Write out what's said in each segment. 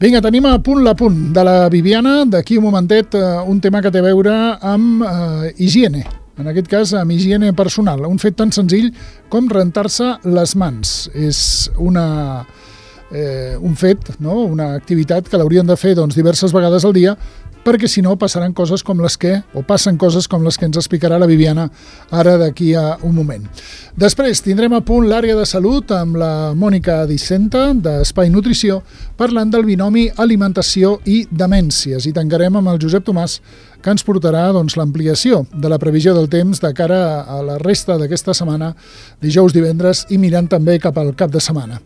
Vinga, tenim a punt l'apunt de la Viviana. D'aquí un momentet, un tema que té a veure amb higiene. En aquest cas, amb higiene personal. Un fet tan senzill com rentar-se les mans. És un fet, no? Una activitat que l'haurien de fer diverses vegades al dia, perquè si no passaran coses com les que, o passen coses com les que ens explicarà la Viviana ara d'aquí a un moment. Després tindrem a punt l'àrea de salut amb la Mònica Dicenta d'Espai Nutrició, parlant del binomi alimentació i demències, i tancarem amb el Josep Tomàs, que ens portarà l'ampliació de la previsió del temps de cara a la resta d'aquesta setmana, dijous, divendres i mirant també cap al cap de setmana.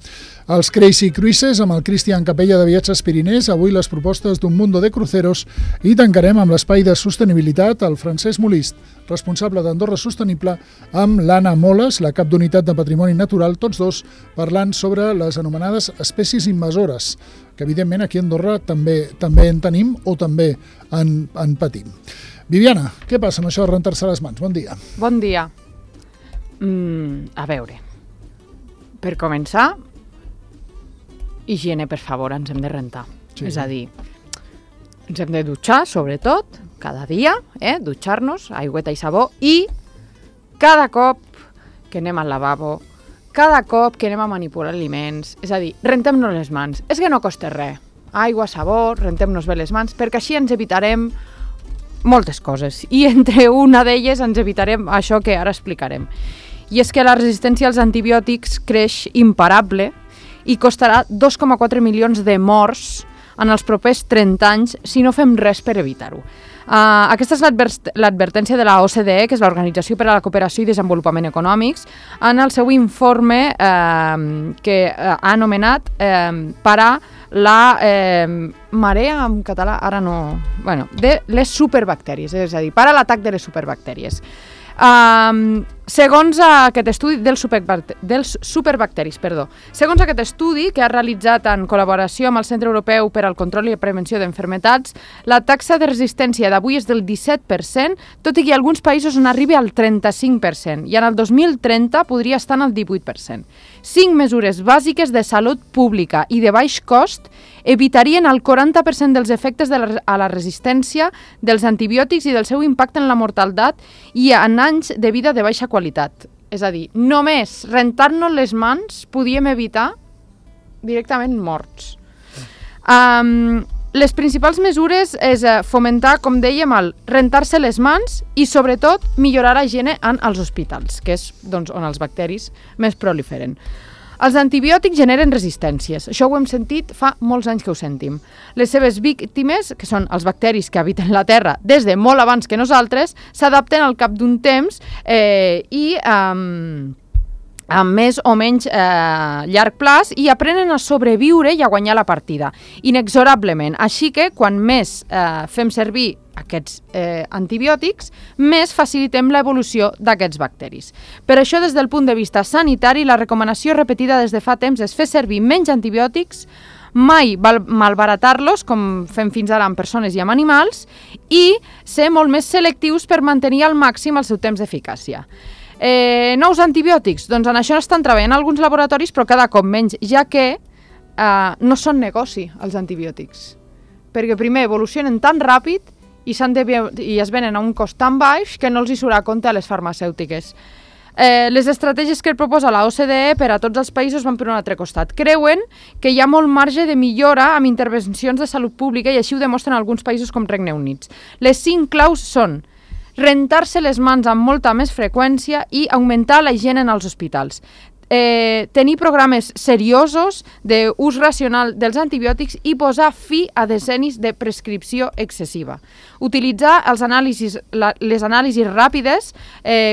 Els Crazy Cruises amb el Cristian Capella de Viatges Pirinès, avui les propostes d'un mundo de cruceros, i tancarem amb l'espai de sostenibilitat el Francesc Molist, responsable d'Andorra Sostenible, amb l'Anna Moles, la cap d'unitat de Patrimoni Natural, tots dos parlant sobre les anomenades espècies invasores, que evidentment aquí a Andorra també en tenim o també en patim. Viviana, què passa amb això de rentar-se les mans? Bon dia. Bon dia. A veure, per començar, higiene, per favor, ens hem de rentar. Sí. És a dir, ens hem de dutxar, sobretot, cada dia, dutxar-nos, aigüeta i sabó, i cada cop que anem al lavabo, cada cop que anem a manipular aliments, és a dir, rentem-nos les mans. És que no costa res. Aigua, sabó, rentem-nos bé les mans, perquè així ens evitarem moltes coses. I entre una d'elles ens evitarem això que ara explicarem. I és que la resistència als antibiòtics creix imparable i costarà 2,4 milions de morts en els propers 30 anys si no fem res per evitar-ho. Aquesta és l'advertència de la OCDE, que és l'Organització per a la Cooperació i Desenvolupament Econòmics, en el seu informe que ha anomenat parar la marea, en català, ara no... Bueno, de les superbactèries, és a dir, parar l'atac de les superbactèries. Segons aquest estudi dels superbacteris, segons aquest estudi que ha realitzat en col·laboració amb el Centre Europeu per al Control i la Prevenció d'Enfermetats, la taxa de resistència d'avui és del 17%, tot i que alguns països n'arribi al 35%, i en el 2030 podria estar en el 18%. 5 mesures bàsiques de salut pública i de baix cost evitarien el 40% dels efectes a la resistència dels antibiòtics i del seu impacte en la mortalitat i en anys de vida de baixa qualitat. És a dir, només rentar-nos les mans podíem evitar directament morts. Les principals mesures és fomentar, com dèiem, el rentar-se les mans i, sobretot, millorar la higiene en els hospitals, que és on els bacteris més proliferen. Els antibiòtics generen resistències. Això ho hem sentit fa molts anys que ho sentim. Les seves víctimes, que són els bacteris que habiten la Terra des de molt abans que nosaltres, s'adapten al cap d'un temps i amb més o menys llarg plaç i aprenen a sobreviure i a guanyar la partida, inexorablement. Així que, quan més fem servir aquests antibiòtics, més facilitem l'evolució d'aquests bacteris. Per això, des del punt de vista sanitari, la recomanació repetida des de fa temps és fer servir menys antibiòtics, mai malbaratar-los, com fem fins ara amb persones i amb animals, i ser molt més selectius per mantenir al màxim el seu temps d'eficàcia. Nous antibiòtics, doncs en això estan treballant alguns laboratoris, però cada cop menys, ja que no són negoci els antibiòtics. Perquè primer evolucionen tan ràpid i es venen a un cost tan baix que no els hi surt a compte a les farmacèutiques. Les estratègies que proposa la OCDE per a tots els països van per un altre costat. Creuen que hi ha molt marge de millora amb intervencions de salut pública i així ho demostren alguns països com Regne Unit. Les 5 claus són rentar-se les mans amb molta més freqüència i augmentar la higiene en els hospitals. Tenir programes seriosos d'ús racional dels antibiòtics i posar fi a decennis de prescripció excessiva. Utilitzar les anàlisis ràpides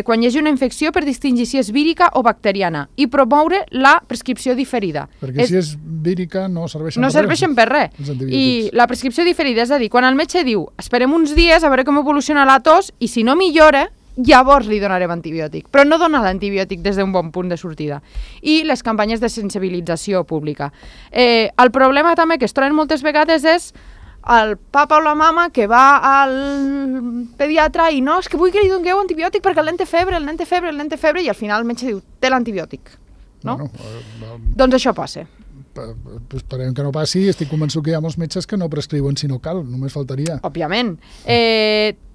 quan hi hagi una infecció per distingir si és vírica o bacteriana i promoure la prescripció diferida. Perquè si és vírica no serveixen per res. No serveixen per res. I la prescripció diferida, és a dir, quan el metge diu esperem uns dies a veure com evoluciona la tos i si no millora, llavors li donarem antibiòtic, però no donar l'antibiòtic des d'un bon punt de sortida. I les campanyes de sensibilització pública. El problema també que es troben moltes vegades és el papa o la mama que va al pediatre i no, és que vull que li dongueu antibiòtic perquè el nen té febre, i al final el metge diu, té l'antibiòtic. No? Doncs això passa. esperem que no passi. Estic convençut que hi ha molts metges que no prescriuen si no cal, només faltaria. Òbviament.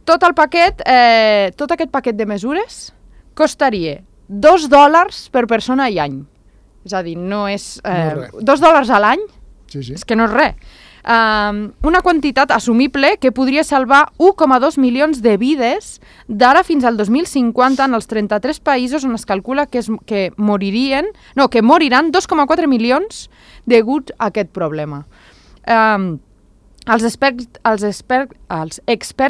Tot aquest paquet de mesures costaria $2 per persona i any. És a dir, no és... $2 a l'any? Sí. És que no és res. Una quantitat assumible que podria salvar 1,2 milions de vides d'ara fins al 2050 en els 33 països on es calcula que moriran 2,4 milions degut a aquest problema. Els experts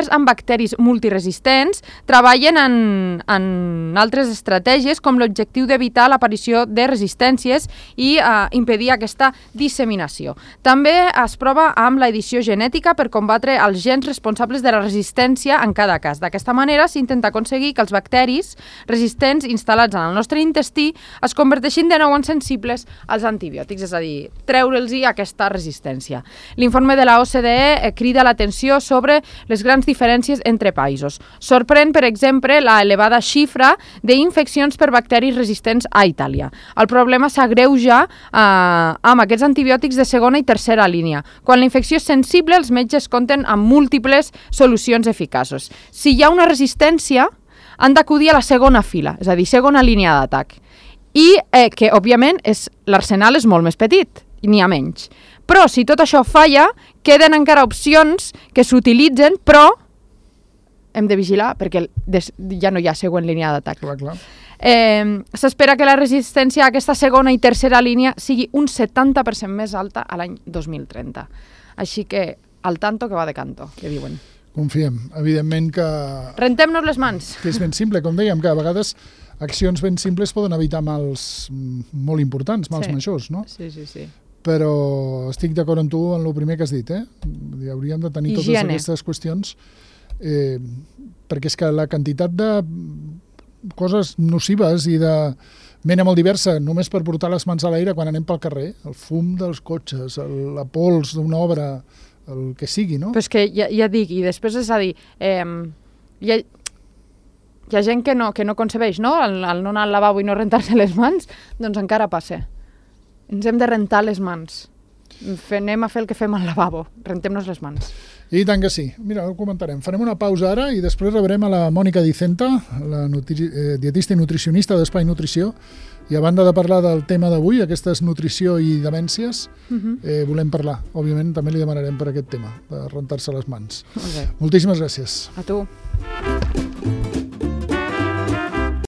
en bacteris multiresistents treballen en altres estratègies com l'objectiu d'evitar l'aparició de resistències i impedir aquesta disseminació. També es prova amb l'edició genètica per combatre els gens responsables de la resistència en cada cas. D'aquesta manera s'intenta aconseguir que els bacteris resistents instal·lats en el nostre intestí es converteixin de nou en sensibles als antibiòtics, és a dir, treure'ls aquesta resistència. L'informe de la OCDE crida l'atenció sobre les grans diferències entre països. Sorprèn, per exemple, la elevada xifra d'infeccions per bacteris resistents a Itàlia. El problema s'agreuja amb aquests antibiòtics de segona i tercera línia. Quan la infecció és sensible, els metges compten amb múltiples solucions eficaços. Si hi ha una resistència, han d'acudir a la segona fila, és a dir, segona línia d'atac. I que, òbviament, l'arsenal és molt més petit, i n'hi ha menys. Però, si tot això falla, queden encara opcions que s'utilitzen, però hem de vigilar perquè ja no hi ha següent línia d'atac. Clar. S'espera que la resistència a aquesta segona i tercera línia sigui un 70% més alta a l'any 2030. Així que, al tanto que va de canto, que diuen. Confiem. Evidentment que... Rentem-nos les mans. Que és ben simple, com dèiem, que a vegades accions ben simples poden evitar mals molt importants, mals majors, no? Sí. Però estic d'acord amb tu en el primer que has dit, hauríem de tenir totes aquestes qüestions perquè és que la quantitat de coses nocives i de mena molt diversa només per portar les mans a l'aire quan anem pel carrer, el fum dels cotxes, la pols d'una obra, el que sigui, no? Però és que ja dic, i després és a dir, hi ha gent que no concebeix, no? El no anar al lavabo i no rentar-se les mans, doncs encara passa. Ens hem de rentar les mans. Anem a fer el que fem al lavabo. Rentem-nos les mans. I tant que sí. Mira, ho comentarem. Farem una pausa ara i després rebrem a la Mònica Dicenta, la dietista i nutricionista d'Espai Nutrició. I a banda de parlar del tema d'avui, aquestes nutrició i demències, volem parlar. Òbviament també li demanarem per aquest tema, de rentar-se les mans. Okay. Moltíssimes gràcies. A tu.